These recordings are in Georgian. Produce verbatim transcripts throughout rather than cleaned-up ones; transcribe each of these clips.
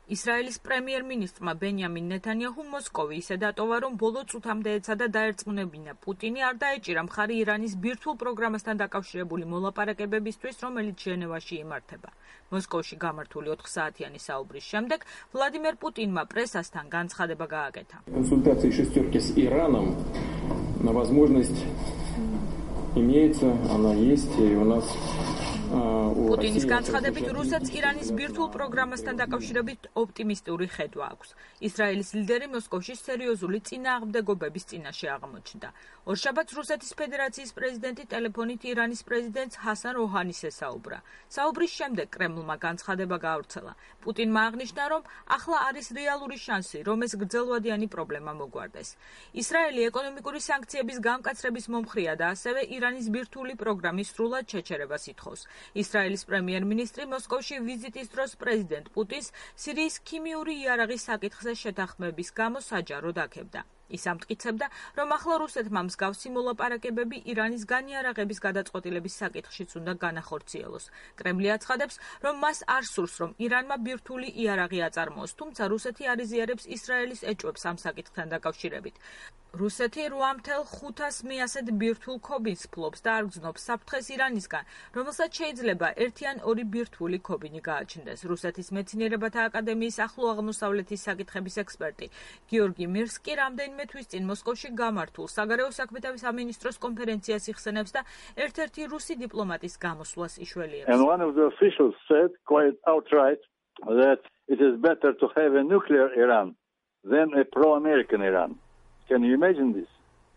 ისრაელის პრემიერ-მინისტრმა ბენიამინ ნეთანიაჰუმ მოსკოვი ისე დატოვა, რომ ბოლო წუთამდე ეცადა დაერწმუნებინა პუტინი არ დაეჭირა მხარი ირანის ბირთვულ პროგრამასთან დაკავშირებული მოლაპარაკებებისთვის, რომელიც ჟენევაში იმართება. მოსკოვში გამართული ოთხსაათიანი საუბრის შემდეგ ვლადიმერ პუტინმა პრესასთან განცხადება გააკეთა. Консультации шестерки с Ираном на возможность имеется, она есть, и у нас პუტინის განცხადებით რუსეთს ირანის ბირთვულ პროგრამასთან დაკავშირებით ოპტიმისტური ხედვა აქვს. ისრაელის ლიდერი მოსკოვში სერიოზული წინააღმდეგობების წინაშე აღმოჩნდა. ორშაბათს რუსეთის ფედერაციის პრეზიდენტი ტელეფონით ირანის პრეზიდენტს ჰასან როჰანის ესაუბრა. საუბრის შემდეგ კრემლმა განცხადება გაავრცელა. პუტინმა აღნიშნა, რომ ახლა არის რეალური შანსი, რომ ეს გრძელვადიანი პრობლემა მოგვარდეს. ისრაელი ეკონომიკური სანქციების გამკაცრების მომხრეა და ასევე ირანის ბირთვული პროგრამის სრულად შეჩერებას ითხოვს. ისრაელის პრემიერ-მინისტრი მოსკოვში ვიზიტის დროს პრეზიდენტ პუტინს სირიის ქიმიური იარაღის საკითხზე შეთანხმების გამო საჯაროდ აქებდა. ის ამტკიცებდა, რომ ახლა რუსეთმა მსგავსი მოლაპარაკებები ირანის განიარაღების გადაწყვეტილების საკითხშიც უნდა განახორციელოს. კრემლი აცხადებს, რომ მას არ სურს, რომ ირანმა ბირთვული იარაღი აწარმოოს, თუმცა რუსეთი არ იზიარებს ისრაელის ეჭვებს ამ საკითხთან დაკავშირებით. რუსეთი რვა ათას ხუთას მეასედ ბირთვულ ქობინს ფლობს და არ გრძნობს საფრთხეს ირანისგან, რომელსაც შეიძლება ერთი ან ორი ბირთვული ქობინი გააჩნდეს. რუსეთის მეცნიერებათა აკადემიის ახლო აღმოსავლეთის საკითხების ექსპერტი გიორგი მირსკი რამდენიმე თვის წინ მოსკოვში გამართულ საგარეო საქმეთა სამინისტროს კონფერენციას იხსენებს და ერთ-ერთი რუსი დიპლომატის გამოსვლას იშველიებს. And one of the officials said quite outright that it is better to have a nuclear Iran than a pro-American Iran. Can you imagine this?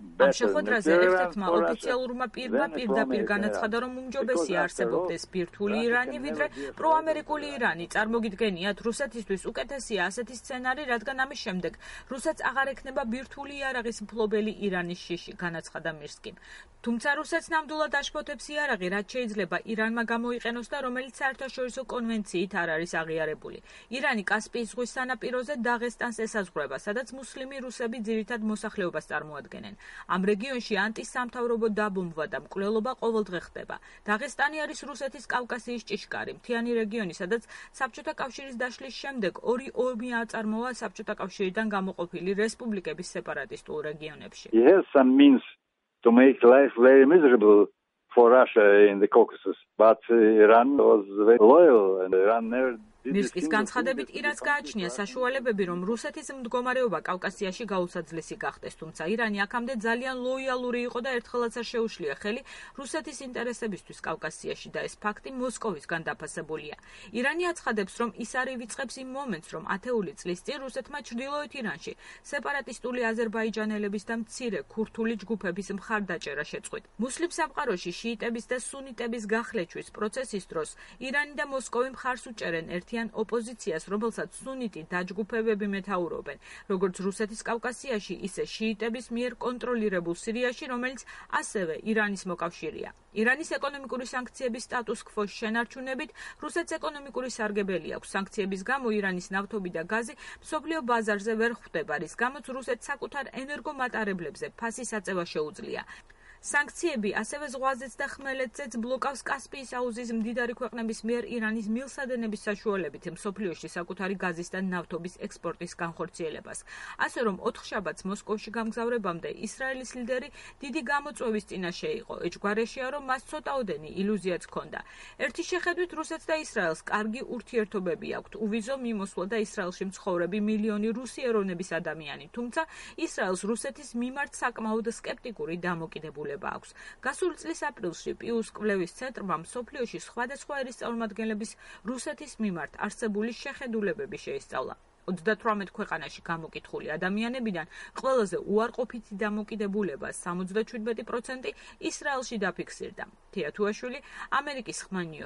ამ შეხვედრაზე ერთ-ერთმა ოფიციალურმა პირმა პირდაპირ განაცხადა, რომ უმჯობესია არსებობდეს ბირთვული ირანი, ვიდრე პროამერიკული ირანი. წარმოგიდგენიათ, რუსეთისთვის უკეთესია ასეთი სცენარი, რადგან ამის შემდეგ რუსეთს აღარ ექნება ბირთვული იარაღის მფლობელი ირანის შიში, განაცხადა მირსკიმ. თუმცა რუსეთს ნამდვილად აშფოთებს იარაღი, რაც შეიძლება ირანმა გამოიყენოს და რომელიც საერთაშორისო კონვენციით არ არის აღიარებული. ირანი კასპიის ზღვის სანაპიროზე დაღესტანს ესაზღვრება, სადაც მუსლიმი რუსები ძირითად მოსახლეობას წარმოადგენენ. ამ რეგიონში ანტისამთავრობო დაბომბვა და მკვლელობა ყოველდღე ხდება. დაღესტანი არის რუსეთის კავკასიის ჭიშკარი, მთიანი რეგიონი, სადაც საბჭოთა კავშირის დაშლის შემდეგ ორი ომი აწარმოა საბჭოთა კავშირიდან გამოყოფილი რესპუბლიკების სეპარატისტულ რეგიონებში. He has some means to make life very miserable for Russia in the Caucasus, but Iran was very loyal and Iran never მირსკის განცხადებით ირანს გააჩნია საშუალებები, რომ რუსეთის მდგომარეობა კავკასიაში გაუსაძლისი გახდეს, თუმცა ირანი აქამდე ძალიან ლოიალური იყო და ერთხელაც არ შეუშლია ხელი რუსეთის ინტერესებისთვის კავკასიაში და ეს ფაქტი მოსკოვისგან დაფასებულია. ირანი აცხადებს, რომ ის არ ივიწყებს იმ მომენტს, რომ ათეული წლის წინ რუსეთმა ჩრდილოეთ ირანში სეპარატისტული აზერბაიჯანელების და მცირე ქურთული ჯგუფების მხარდაჭერა შეწყვიტ. მუსლიმ სამყაროში შიიტების და სუნიტების გახლეჩვის პროცესის დროს ირანი და მოსკოვი მხარს უჭერენ ერთ ოპოზიციას, რომელსაც სუნიტი დაჯგუფებები მეთაურობენ, როგორც რუსეთის კავკასიაში, ისე შიიტების მიერ კონტროლირებულ სირიაში, რომელიც ასევე ირანის მოკავშირეა. ირანის ეკონომიკური სანქციების სტატუს-კვოს შენარჩუნებით რუსეთს ეკონომიკური სარგებელი აქვს. სანქციების გამო ირანის ნავთობი და გაზი მსოფლიო ბაზარზე ვერ ხვდება, რის გამოც რუსეთს საკუთარ ენერგომატარებლებზე ფასის აწევა შეუძლია. სანქციები ასევე ზღვაზეც და ხმელეთზეც ბლოკავს კასპიის აუზის მდიდარი ქვეყნების მიერ ირანის მილსადენების საშუალებით მსოფლიოში საკუთარი გაზის და ნავთობის ექსპორტის განხორციელებას. ასე რომ ოთხშაბათს მოსკოვში გამგზავრებამდე ისრაელის ლიდერი დიდი გამოწვევის წინაშე იყო. ეჭვგარეშეა, რომ მას ცოტაოდენი ილუზიაც ჰქონდა. ერთი შეხედვით რუსეთს და ისრაელს კარგი ურთიერთობები აქვთ. უვიზო მიმოსვლა და ისრაელში მცხოვრები მილიონი რუსი ეროვნების ადამიანი, თუმცა ისრაელს რუსეთის მიმართ საკმაოდ სკეპტიკური დამოკიდებულება აქვს. გასული წლის აპრილში პიუს კვლევის ცენტრმა მსოფლიოში სხვადასხვა ერის წარმომადგენლების რუსეთის მიმართ არსებული შეხედულებები შეისწავლა. ოცდათვრამეტ ქვეყანაში გამოკითხული ადამიანებიდან ყველაზე უარყოფითი დამოკიდებულება სამოცდაშვიდმეტი პროცენტი ისრაელში დაფიქსირდა. თეათუაშვილი, ამერიკის ხმა ნიუ